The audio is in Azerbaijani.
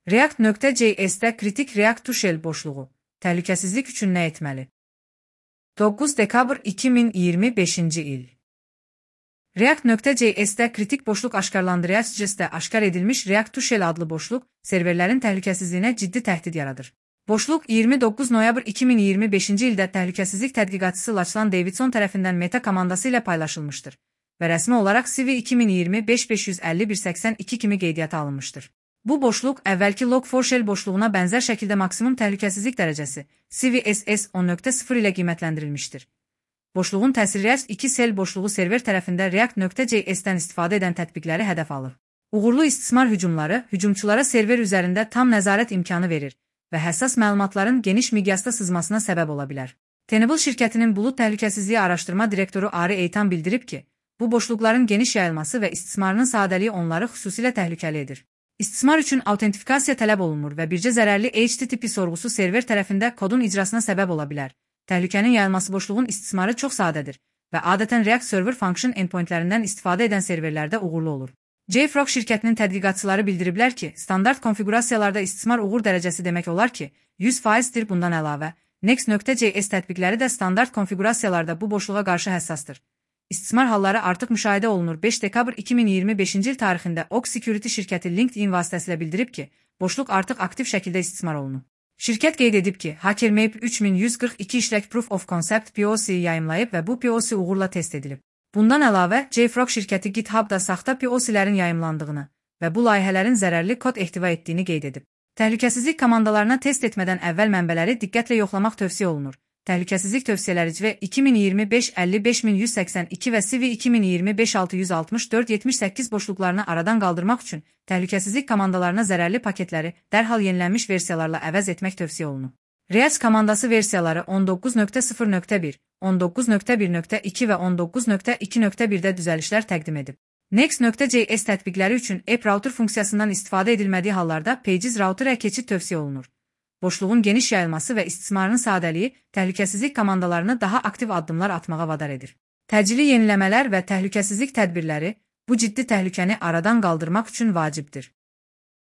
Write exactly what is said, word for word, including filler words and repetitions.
React.js'də kritik React to Shell boşluğu. Təhlükəsizlik üçün nə etməli? doqquz dekabr iki min iyirmi beşinci il. React.js'də kritik boşluq aşkarlandı. React.js'də aşkar edilmiş React to Shell adlı boşluq, serverlərin təhlükəsizliyinə ciddi təhdid yaradır. Boşluq iyirmi doqquz noyabr iki min iyirmi beşinci ildə təhlükəsizlik tədqiqatçısı Lachlan Davidson tərəfindən Meta komandası ilə paylaşılmışdır və rəsmi olaraq C V iki min iyirmi beş beş yüz əlli bir səksən iki kimi qeydiyyata alınmışdır. Bu boşluq əvvəlki log four shell boşluğuna bənzər şəkildə maksimum təhlükəsizlik dərəcəsi C V S S on nöqtə sıfır ilə qiymətləndirilmişdir. Boşluğun təsiri React iki shell boşluğu server tərəfində React.js'dən istifadə edən tətbiqləri hədəf alır. Uğurlu istismar hücumları hücumçulara server üzərində tam nəzarət imkanı verir və həssas məlumatların geniş miqyasda sızmasına səbəb ola bilər. Tenable şirkətinin bulud təhlükəsizliyi araşdırma direktoru Ari Eitan bildirib ki, bu boşluqların geniş yayılması və istismarının sadəliyi onları xüsusilə təhlükəli edir. İstismar üçün autentifikasiya tələb olunmur və bircə zərərli H T T P sorğusu server tərəfində kodun icrasına səbəb ola bilər. Təhlükənin yayılması boşluğun istismarı çox sadədir və adətən React Server Function endpointlərindən istifadə edən serverlərdə uğurlu olur. JFrog şirkətinin tədqiqatçıları bildiriblər ki, standart konfiqurasiyalarda istismar uğur dərəcəsi demək olar ki, yüz faizdir. Bundan əlavə, Next.js tətbiqləri də standart konfiqurasiyalarda bu boşluğa qarşı həssasdır. İstismar halları artıq müşahidə olunur. beş dekabr iki min iyirmi beşinci il tarixində Oak Security şirkəti LinkedIn vasitəsilə bildirib ki, boşluq artıq aktiv şəkildə istismar olunur. Şirkət qeyd edib ki, HackerMap üç min yüz qırx iki işlək Proof of Concept P O C-yi yayımlayıb və bu P O C uğurla test edilib. Bundan əlavə, JFrog şirkəti GitHub-da saxta P O C-lərin yayımlandığını və bu layihələrin zərərli kod ehtiva etdiyini qeyd edib. Təhlükəsizlik komandalarına test etmədən əvvəl mənbələri diqqətlə yoxlamaq tövsiyə olunur. Təhlükəsizlik tövsiyələri C V iki min iyirmi beş əlli beş min yüz səksən iki və C V iki min iyirmi beş altı yüz altmış dörd yetmiş səkkiz boşluqlarını aradan qaldırmaq üçün təhlükəsizlik komandalarına zərərli paketləri dərhal yenilənmiş versiyalarla əvəz etmək tövsiyə olunur. React komandası versiyaları on doqquz nöqtə sıfır nöqtə bir, on doqquz nöqtə bir nöqtə iki və on doqquz nöqtə iki nöqtə birdə düzəlişlər təqdim edib. Next.js tətbiqləri üçün app router funksiyasından istifadə edilmədiyi hallarda Pages router-ə keçid tövsiyə olunur. Boşluğun geniş yayılması və istismarının sadəliyi təhlükəsizlik komandalarını daha aktiv addımlar atmağa vadar edir. Təcili yeniləmələr və təhlükəsizlik tədbirləri bu ciddi təhlükəni aradan qaldırmaq üçün vacibdir.